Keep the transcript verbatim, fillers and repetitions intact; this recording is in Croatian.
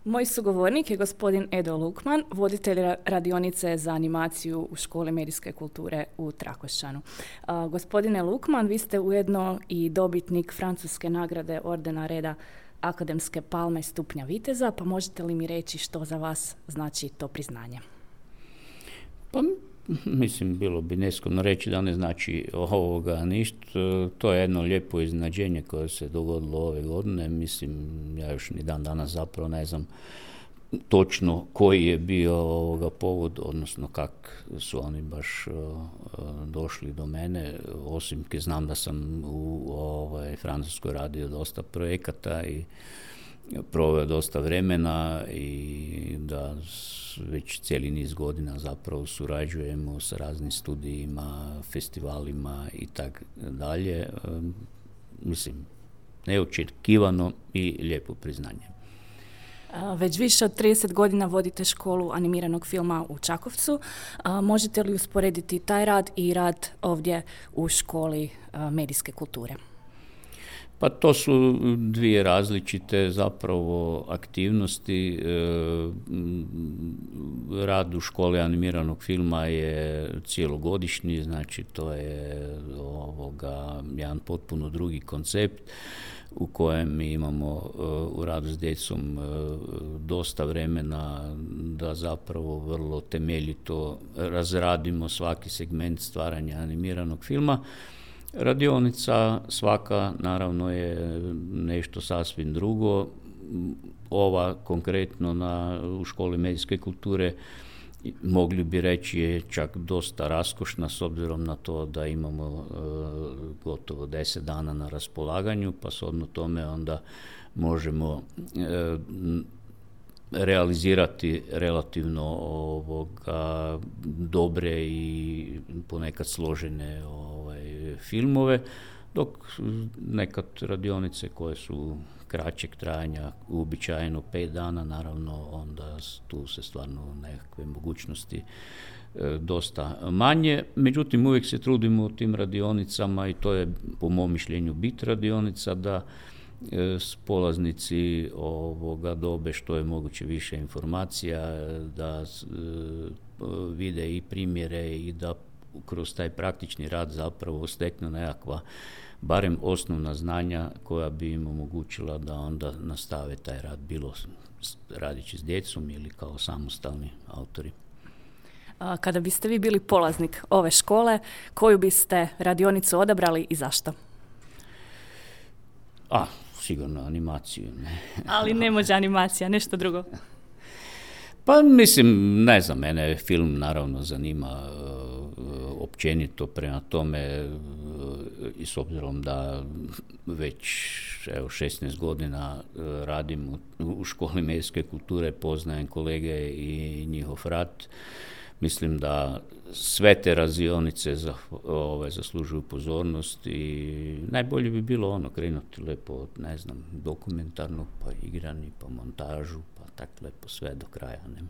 Moj sugovornik je gospodin Edo Lukman, voditelj radionice za animaciju u Školi medijske kulture u Trakošćanu. Uh, gospodine Lukman, vi ste ujedno i dobitnik francuske nagrade ordena reda Akademske palme stupnja viteza, pa možete li mi reći što za vas znači to priznanje? Pa mislim, bilo bi neskromno reći da ne znači ovoga ništa. To je jedno lijepo iznenađenje koje se dogodilo ove godine. Mislim, ja još ni dan danas zapravo ne znam točno koji je bio ovoga povod, odnosno kak su oni baš uh, došli do mene. Osim ke znam da sam u ovaj, Francuskoj radio dosta projekata i proveo dosta vremena i da već cijeli niz godina zapravo surađujemo sa raznim studijima, festivalima i tak dalje. Mislim, neočekivano i lijepo priznanje. Već više od trideset godina vodite školu animiranog filma u Čakovcu. Možete li usporediti taj rad i rad ovdje u Školi medijske kulture? Pa to su dvije različite zapravo aktivnosti. Rad u Školi animiranog filma je cijelogodišnji, znači to je ovoga jedan potpuno drugi koncept u kojem mi imamo u radu s djecom dosta vremena da zapravo vrlo temeljito razradimo svaki segment stvaranja animiranog filma. Radionica svaka naravno je nešto sasvim drugo. Ova konkretno na, u Školi medijske kulture mogli bi reći je čak dosta raskošna s obzirom na to da imamo e, gotovo deset dana na raspolaganju, pa shodno tome onda možemo e, realizirati relativno ovoga dobre i ponekad složene ovaj, filmove, dok nekad radionice koje su kraćeg trajanja, uobičajeno pet dana, naravno onda tu se stvarno nekakve mogućnosti e, dosta manje. Međutim, uvijek se trudimo u tim radionicama i to je po mom mišljenju bit radionica da e, polaznici ovoga dobe što je moguće više informacija, da e, vide i primjere i da kroz taj praktični rad zapravo steknu nekakva barem osnovna znanja koja bi im omogućila da onda nastave taj rad, bilo radići s djecom ili kao samostalni autori. Kada biste vi bili polaznik ove škole, koju biste radionicu odabrali i zašto? A, sigurno animaciju. Ne. Ali ne može animacija, nešto drugo. Pa mislim, ne znam, mene film naravno zanima općenito, prema tome i s obzirom da već evo, šesnaest godina radim u, u Školi medijske kulture, poznajem kolege i njihov rad. Mislim da sve te radionice za, ove, zaslužuju pozornost i najbolje bi bilo ono krenuti lepo od, ne znam, dokumentarnog, pa igrani, pa montažu, pa tak lepo sve do kraja. Ne?